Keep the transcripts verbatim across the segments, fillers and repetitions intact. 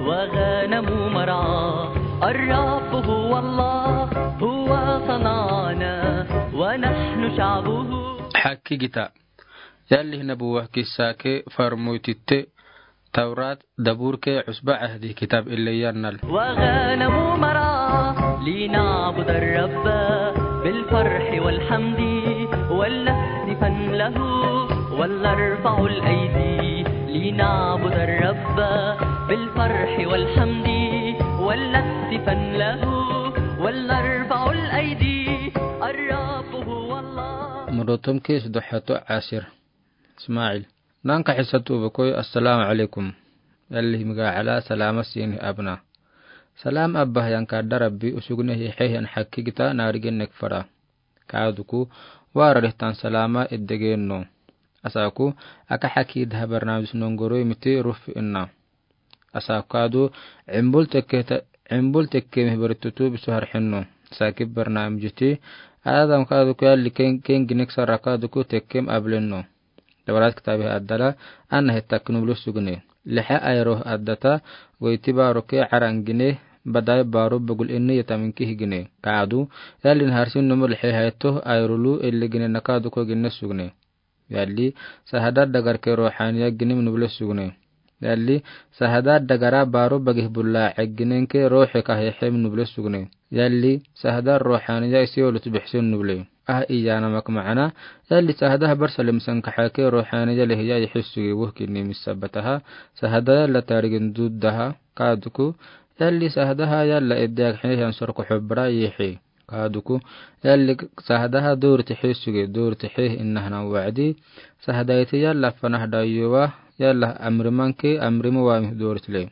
وغنم مرعى. الرب هو الله، هو صنعنا ونحن شعبه. Hakigitaa. Yalli nabuwa kissa ke farmoytitte Tawrat, Dabur ke Usba Ahdi kitab ille yannal. وغنم مرعى لنعبد الرب بالفرح والحمد ولنهتفن له ولنرفع الأيدي لنعبد الرب بالفرح والحمد ولنهتفن له ولنرفع الأيدي. الرب هو الله. Mudotom ke sudohato asir. Ismail. Nanka hisa tubu koy, "Assalamu alaikum." Yalli miga ala salama sini abna. Salam abba yang kada Rabbi usugne hihe yang hakigitaa narigen nek fara. Kaduku, wara rihtan salama eddegen no. Asaku, aka hakigitaa barnamij nongoro imiti ruf inna. Asaku kadu, embul tekke ta-, embul tekke mih baritutu bisu harhenno. Sakib barnamij ti, Adam kaduku yalli ken, ken ginek sara kaduku tekkem ablenno. Tawrat kitabe addala, anna hetta kinu bulu sugne. Liha ayro addata, goiti baro ke arangine, badai baro bagul inni yataminki higine. Kadu, yalli naharsin numu liha hayto, ayrolu, elli gine nakaduku gine sugne. Yalli, sahada dagar ke rohaniya ginem nubule sugne. Yalli, sahada dagara baro bagih bulla egginen ke rohe ka hehem nubule sugne. Yalli, sahada rohaniya isi olutu bihsin nubule. Ah, iya namak maana. Yalli, sahada habar salim sankaha ke rohaniya lehiya yihis sugi wuh kini misabataha. Sahada yalla tarigin duddaha kaduku. Yalli, sahadaha yalla edde akhe yan sorko hubra yihi. Kaduku, yalli sahadaha dorti hisuge, dorti hih innahana wa'di, sahadaiti yalla fanah dayuwa, yalla amrimanke, amrimu wami dortile.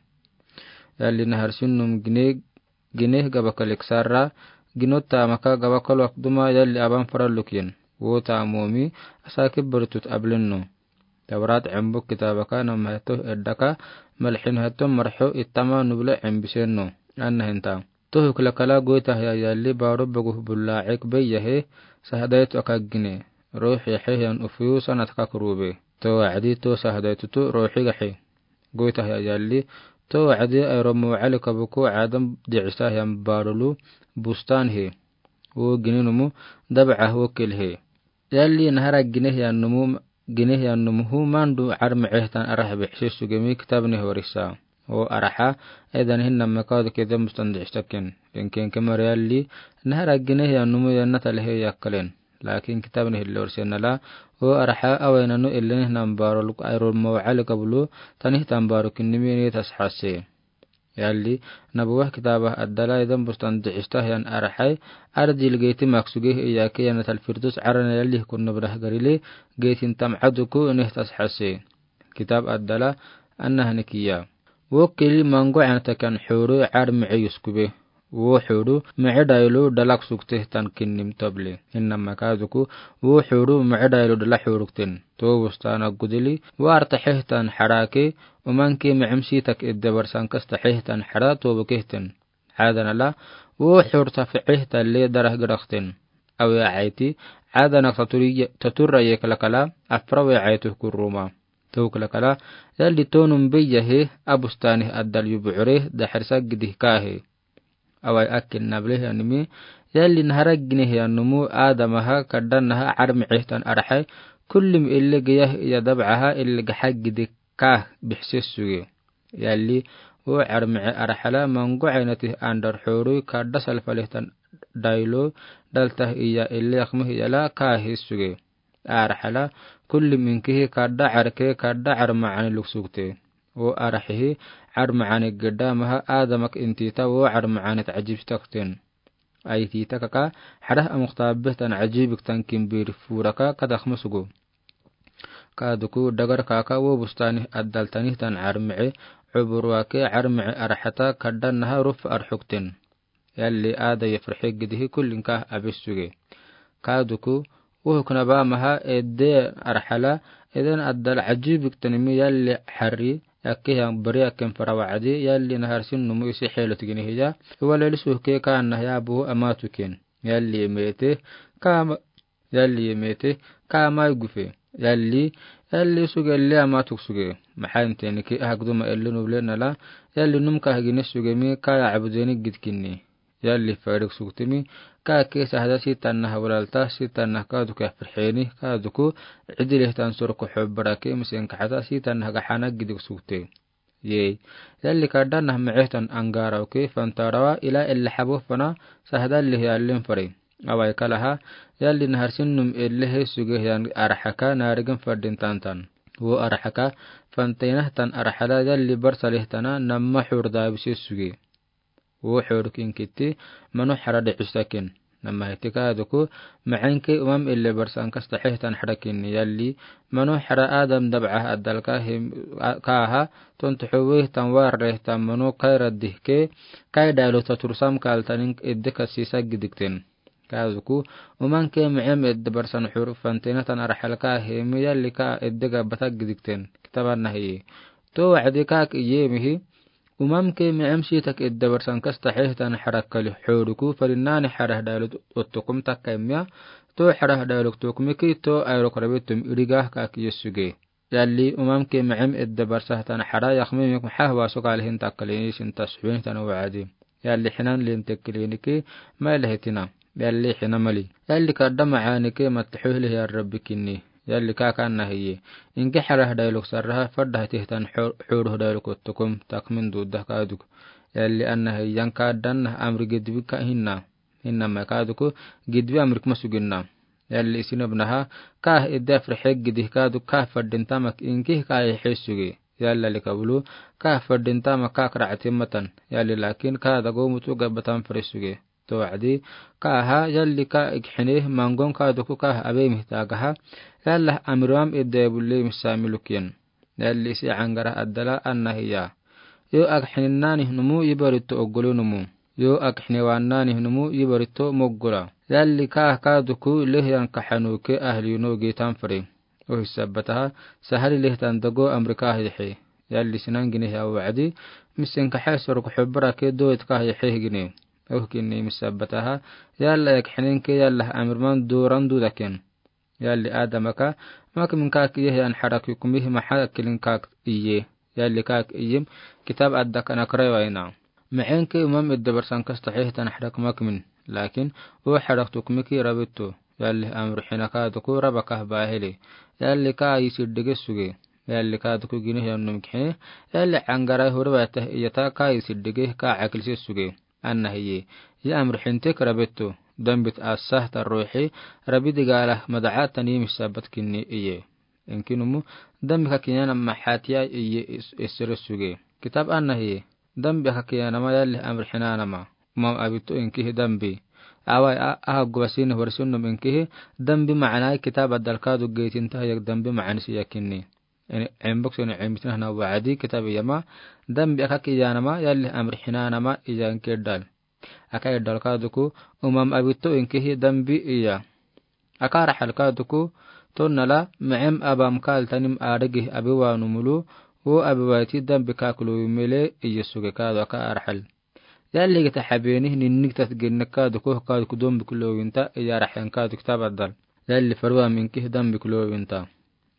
Yalli naharsin num gine, gine gabakalik sarra, gino tamaka gabakal wakduma yalli aban faraluk yen. Wo tamomi, asake bertut ablenno. Tawrat embuk kitabaka nam heto eddaka, malhin heto marho itama nubla embisenno. Anna hinta. Tohuk lakala goitahya yalli baro baguh bulla ek beyyahe, sahadaitu akagine. Rohi heyan ufiyu sanat kakrube. To wa'di to sahadaitutu rohi gahe. Goitahya yalli, to wa'di ayromo alikabuku Adam di'isahyan barolu bustan he. Wo gininumu dab'ah wo kelhe. Yalli nahara ginehyan numu, ginehyan numu hu mandu armehtan arah bihsi sugemi kitabne horisa. O araha, edan hinna mekadu kedem bustan di'staken. Enken kemar yalli, nahara ginehyan numu yannata lehe yakkalen. Lakin kitabne hillorsenala, o araha, awaynanu ellen hinnan baroluk ayrol maw'al kabulu, tanihtan baruk innimi ne tashase. Yalli, nabuwah kitabah addala idan bustan di'istahyan arhai, ardil geiti maksuge iyake yanatal firdus arana yalli kun nabrah garile, geitin tam aduku nih tashase. Kitab addala, anna hanikiya. Wo keli mango anatakan huru ar mi'e yuskube. Wo huru mi'e dailu dalak sukte tan kinnim toble. Hinna makaduku, wo huru mi'e dailu dala hurukten. To bustan agudili, wo artahehtan harake, umanke mi'imsi tak iddabar sankas tahehtan hara to bukehten. Adanala, wo hur tafi'ehtan le darah gerakten. Awe aiti, adanak taturi, taturra ye kalakala, afra we aitu kuruma. To kalakala, yalli tonum beyyahe, abustani addal yubu'ure, dahrisa gidih kahe. Awai akin nablehyanimi, yalli nahara ginehyanumu adamaha kadanaha armehtan arhai, kullim ille geyah iya dab'aha ille gaha gidih kah bihses suge. Yalli, wo armehe arhala mango ainatih andar huru kada salfalehtan dailo, daltah iya ille akmeh yala kahis suge. Arhala, kullim inkihi kada arke kada arma'ani luksukte. Wo arhihi, arma'ani gedamaha adamak intita wo arma'ani ta'ajib takten. Aitita kaka, harah amuk tabehtan ajibik tan kimbir furaka kada akmeh sugu. Kaduku dagar kaka wo bustani addal tanihtan armehe, uburwake armehe arhata kadanaha ruf arhukten. Yalli ada yafrhe gidihi kullin kah abis suge. Kaduku, wo hukna bamaha edde arhala, eden addal ajibik tanimi yalli harri, yakke yang beri yakken fara wa'di, yalli naharsin numu isi helot ginehiya, iwaleli suhke ka annahya buhu amatuken. Yalli mete, kama, yalli mete, kama gufe. Yalli, Yalli suge le ama tuk suge. Maxaa inte nike ahak duma ellin uble nala, yalli num ka hagine suge mi ka ya abudenik gidkinni. Yalli fayrik sugtimi, ka ke sahada sitanna hawlalta, sitanna ka duku ya firxeeni, ka duku idile tan surku xubbarake, misin ka xata sitanna haga xana gidik sugte. Yee. Yalli ka danna mexehtan angaraw ke fantarawa ila ella xabo fana sahada lih yallin fari. Awai kalaha, yalli naharsin num ellehe suge yan araxaka naarigin fardin tantan. Wo araxaka, fantaynah tan araxala yalli barsa lih tana namma xur daabise suge. Wo xuruk inkitti, manu xara de xusakin. Namma hiti ka duku, maxenke umam elle barsan kasta xehtan xarakin yalli, manu xara Adam dabca addalka him, ka aha, tontu xuwe tan warre tan manu kayra dihke, kay dalu ta tursam kaltanin edde kasisa gidikten. Ka duku, umanke mexem edde barsan xur fantaynah tan araxalka himi yalli ka edde gabbata gidikten. Kitaban nahi. To wacdi ka ki yemihi, umamke mexem sitak edde barsan kasta xehtan xarakali xuruku farinnani xarah dalu ottukum takka imya, to xarah dalu tukmiki to ayrok rabitum iriga ka ki yesuge. Yalli umamke mexem edde barsahtan xara yaxmimik maxaa waso kalihin takkali isin tasxuin tan wacdi. Yalli xinan lin tekkiliniki, ma ilahetina. Yalli xina mali. Yalli kadda maxaanike mattaxuhli ya rabbikinni. Yalli ka kanna hiye. Inke xarah dayluk sarraha fadda hatihtan xur-, xuruh dayluk ottukum takmin dudda ka duk. Yalli anna hiyan kaddanna amri gidbi ka hinna. Hinna ma ka duku gidbi amrik masuginna. Yalli isin obnaha, ka edde afrixek gidih ka duk ka faddin tamak inke ka yexe suge. Yalla lika bulu, ka faddin tamak ka karacatin matan. Yalli lakin ka dago mutu gabbatan fari suge. To wacdi, ka aha, yalli ka ikxine, mangon ka duku ka abe mihtagaha. Yalla amiram edde bulle misamilukin. Yalli isi angara addala anna hiya. Yo akxininnani numu yibaritto oggolo numu. Yo akxinewannani numu yibaritto moggola. Yalli ka ka duku lehyan kaxanuke ahli no gitan fari. Ohi sabbataha, sahali lehtan dago amrika yexe. Yalli sinan gine ya wacdi, misin kaxe sorok xubbara ke doit ka yexe gine. Ohi kinni misabbataha, yalla ekxinin ke yalla amirman duran dudaken. Yalli Adama ka, mak min ka ki yehe an xarak yukumi maxa kilin ka iye. Yalli ka ki iyim, kitab adda kana karaywayna. Mexenke umam edde barsan kasta xehtan xarak mak min. Lakin, o xarak tukmiki rabitto. Yalli amr xina ka duku raba ka bahili. Yalli ka yisi dege suge. Yalli ka duku gine yannum kixine. Yalli angara hurwa tah iyata ka yisi dege ka akilsi suge. Anna hiye. Ya amr xintek rabitto. Dambit asah ta ruuxi. Rabi digala madaca tani misabat kinni iye. Inkinumu dambi ka kiyana maxatiya iye is-, isere suge. Kitab anna hiye. Dambi ka kiyana ma yalli amr xinana ma. Umam abitto inkihi dambi. Awai a-, aha gubasini horsinnum inkihi dambi macanai kitab addalka du geetinta yak dambi macanisi yakinni. Ini embok sini embitna hana wacdi kitab yama, dambi aka kiyanama, yalli amr xinanama iyan kedal. Aka edal ka duku, umam abitto inkihi dambi iya. Aka raxal ka duku, tonnala, mexem abam kal tanim arigi abiwanu mulu, wo abiwaiti dambi ka kulu mele iya suge ka du aka raxal. Yalli gita xabeeni ninnik tat gennek ka duku, ka duku dombi kulu winta, iya raxen ka duku tabadal. Yalli farwa minkihi dambi kulu winta.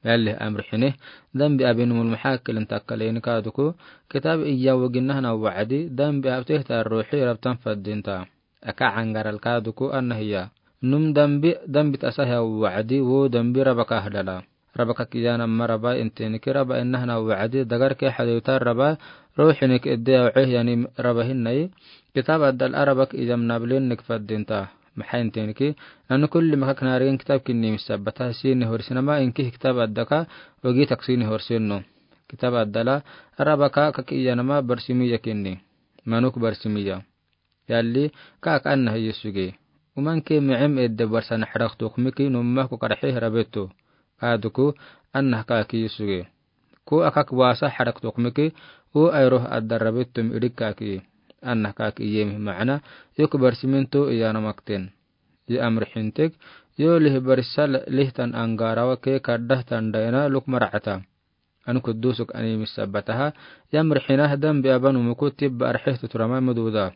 Yalli amr xine, dambi abin mul maxaa kelin takkaleni ka duku, kitab iya waginahana wacdi, dambi abtehta ruuxi rabtan faddinta. Aka angaral ka duku anna hiya. Num dambi, dambi tasahya wacdi, wo dambi raba ka hadala. Raba ka kiyana ma raba intiniki raba inahana wacdi, dagar ke xadewta raba, ruuxinik edde awceh yani raba hinnayi, kitab addal araba ki iyam nablinnik faddinta. Maxaa intiniki, nanu kulli maka kinarigen kitab kinni misabbata sini horsinama inki kitab addaka wagi taksini horsinno. Kitab addala, raba ka kaki iyanama barsimi yakinni. Manuk barsimi ya. Yalli, ka ka anna hiyi suge. Umanke mexem edde barsan xarak tukmiki numma ku karxi rabetto. Ka duku, anna ka ki suge. Ku akak wasa xarak tukmiki, u ayroh addar rabettum idik ka ki. Anna ka ki yemi macna, yuk barsiminto iyana makten. Yi amr xintek, yo lih barsa lihtan angarawa ke kaddah tandayna luk maracata. An kudusuk ani misabbataha, yamr xinah dambi aban umuku tibba arxeh tuturama maduda.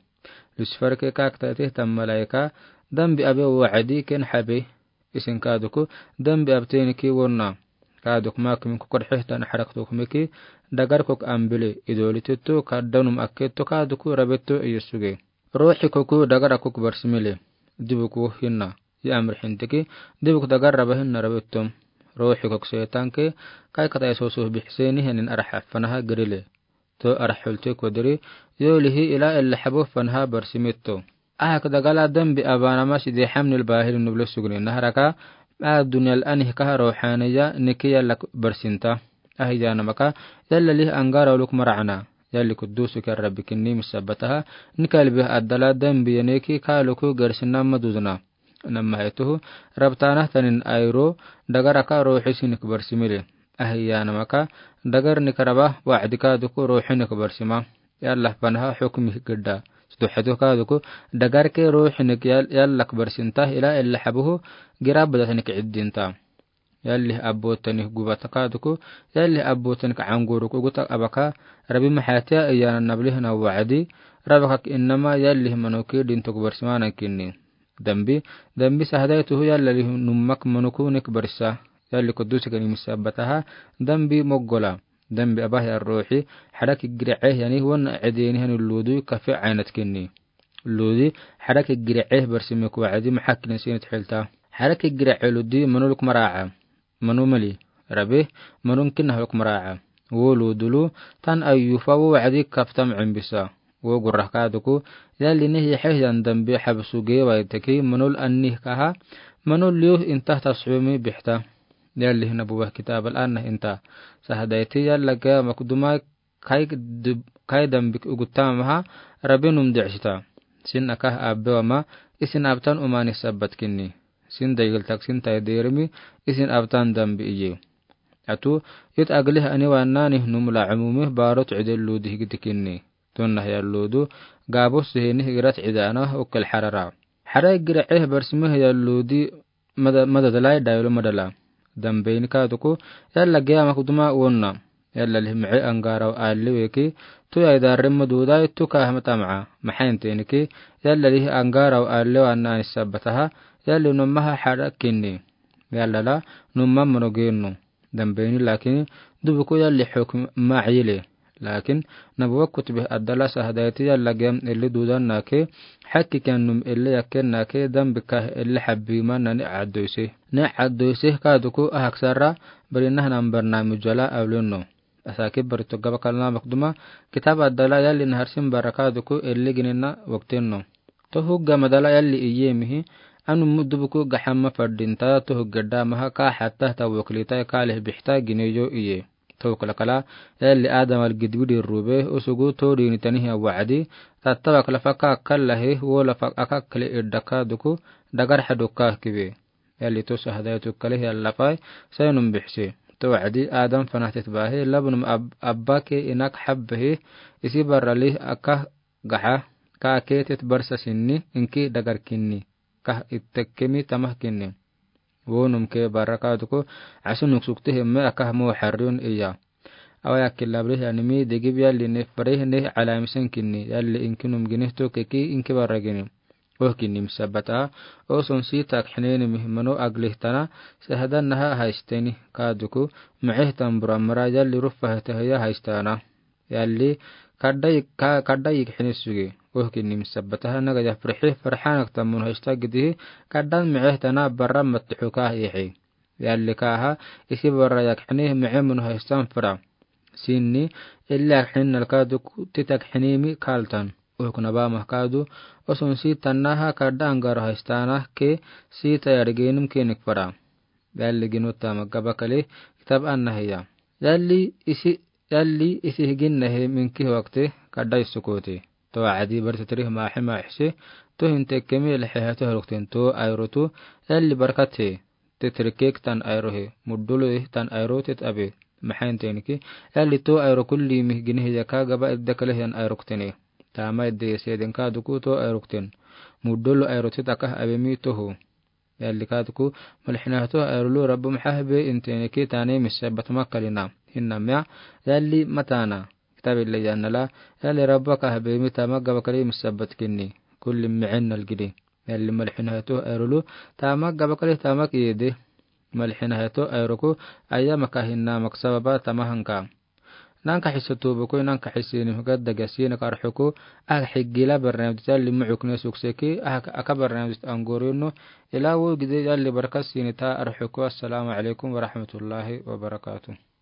Lucifer ke kaktateh tan malaika, dambi abe wacdi ken xabe, isin ka duku, dambi abteniki wonna. Kaaduk makimin kokodxehtan axarak tokumiki, dagar kok ambile, idooliteto, kaddanum akketo, kaaduku rabeto iyesuge. Ruuxi koku dagar akok barsimile. Dibuk wo hinna. Ya amrixintiki, dibuk dagar rabahinna rabetom. Ruuxi kok seetanke, kai katai sosu bixseni henin araxa fanaha girile. To araxulte kodiri, yolihi ila ella xabo fanaha barsimeto. Ahak dagala dambi abaanama sidexamnil baahili nublo sugni naharaka, a dunyal anihkaha ruuxaniya niki yallak barsinta. Ahiyanamaka, yallalih angarawluk maracana. Yalli kudusuki arrabikinni misabataha, nikalbih addala dambi yaneki kaluku garsina madudna. Namahaytuhu, rabtanah tanin ayro, dagaraka ruuxi sinik barsimile. Ahiyanamaka, dagar nikaraba, wacdika duku ruuxi nik barsima. Yallah fanaha xukmi gidda. Suduxetuh kaduku, dagarke ruuxi nik yal-, yallak barsinta, ila ella xabuhu, girabada tanik ciddinta. Yalli abbotanih gubata kaduku, yalli abbotanih ka anguruk uguta abaka, rabi maxatiya iyana nablihna wacdi, rabakak innama yalli manuki dintuk barsimana kinni. Dambi, dambi sahadaytuhu yallalih nummak manuku nik barsa, yalli kudusikin misabataha, dambi moggola, dambi abah ya ruuxi, xarak igiraceh yani wan cideni hani ludu kafe aynat kinni. Ludi, xarak igiraceh barsimik wacdi maxakinin sinit xilta. Xarak igiraceh ludi manuluk maraca. Manu mali, rabi, manun kinnahluk maraca. Wo ludulu, tan ayufa wo wacdi kaftam cimbisa. Wo gurrah kaduku, yalli nih yaxeh yan dambi xabsu gewaitaki manul annihkaha, manul liuh intah tasxumi bixta. Yalli hina buwah kitabal annah inta. Sahadayti yalla gaya makduma kai dub-, kai dambik ugutamaha, rabi num dicsita. Sin akah abbe wama, isin abtan umani sabbat kinni. Sin dayiltak sin taiderimi, isin abtan dambi iye. Atu, it aglih ani wannani num la umumi barot cidel ludi higdi kinni. Tunnah ya ludu, gabus sihini higrat cidana ukkel xarara. Xara igiraceh barsimih ya ludi mada-, madadalai dayulu madala. Dambeyni kaduku, yalla giya makduma wonna. Yalla lih mici angaraw alli weki, tu yai darri madudai tu kahma tamaca. Maxainteniki, yalla lih angaraw alli wannani sabataha, yalli numaha xara kinni. Yalla la, numa mano gennu. Dambeyni lakin, dubuku yalli xukm macile. Lakin, nabuwa kutbih addala sahadayti yalla gem illi dudan nake, xakki ken num illi yakken nake, dambikah illi xabbiman nani caddoyse. Ne caddoyse kaduku ahak sarra, barinah nan barnamijala awlinno. Asaki barito gabakal namakduma, kitab addala yalli naharsin barra kaduku illi ginina waktinno. Tohugga madala yalli iyemihi, anu mudubuku gaxama fadinta tohugga damaha ka xatta ta wakilita kalih bixta gineyo iye. Tawkala kala, yalli Adam al gidbidi rube, usugu todini tanihi wacdi, tatta wakala faka kalahi, wola faka kale iddaka duku, dagar xaduka kibe. Yalli to sahadaytu kalehi yalla fai, saynum bixse. To wacdi, Adam fanahtet bahi, labnum ab-, abbake inak xabbahi, isi barralih aka gaxa, ka ketet barsa sinni, inki dagar kinni, kah ittekkemi tamah kinni. Wonum ke barra kaduku, asunuk sukte hemme akah mo xarriun iya. Awa yakki labrih animi degib yalli ne farih ne calamisen kinni, yalli inkinum ginihto keki inki barra gini. Oh kinni misabata, oh son sitak xinenimi mano aglih tana, sahadanaha haisteni kaduku, miceh tambura mara yalli rufa hetahiya haistana. Yalli, kadda yik-, ka-, kadda yik xinisugi. Oh kinni misabataha naga yafrihi farxanak tamun haista gidihi, kaddan miceh tana barra matxuka yihi. Yalli kaha, isi barra yak xini mice mun haistan fara. Sinni, illi yak xini nalkadu ku-, titak xinimi kaltan. Oh kunaba mahkadu, osun si tanaha kadda angar haistana ke si tayar genum kenik fara. Yalli ginu tama gabakali, kitab annahiya. Yalli isi Yalli isi higinnahi minki wakti kadda issukoti. To wacdi bar titrih maxi maxi, to hinte kemi lixi hatu haruktin to ayrutu, yalli barkati, titrikek tan ayruhi, mudulu ih tan ayrutit abi, maxaintenki, yalli to ayru kulli mih ginihi yaka gaba idda kalih yan ayruktini. Tama idda yasiyadin kaduku to ayruktin. Mudulu ayrutit akah abi mi tohu. Yalli kaduku, malxinahtu ayrulu Rabbu maxahbe intene ki tane misabbat makalina. Hinna mia, yalli matana. Kitab illa yannala, yalli Rabbu kahbe mi tama gabakali misabbat kinni. Kulli mi'in nalgidi. Yalli malxinahtu ayrulu, tama gabakali tama kiyede. malixina heto, ayroku, ayama ka hina maksaba ba tamahanka. Nanka xisa tubuku, nanka xisa ni huga daga sina ka arxuku, a xigila barnaamij ta limu cukne sukseki, a ka barnaamij angorinu, ila wo gide ya libarka sina ta arxuku. Assalamu alaikum wa rahmatullahi wa barakatuh.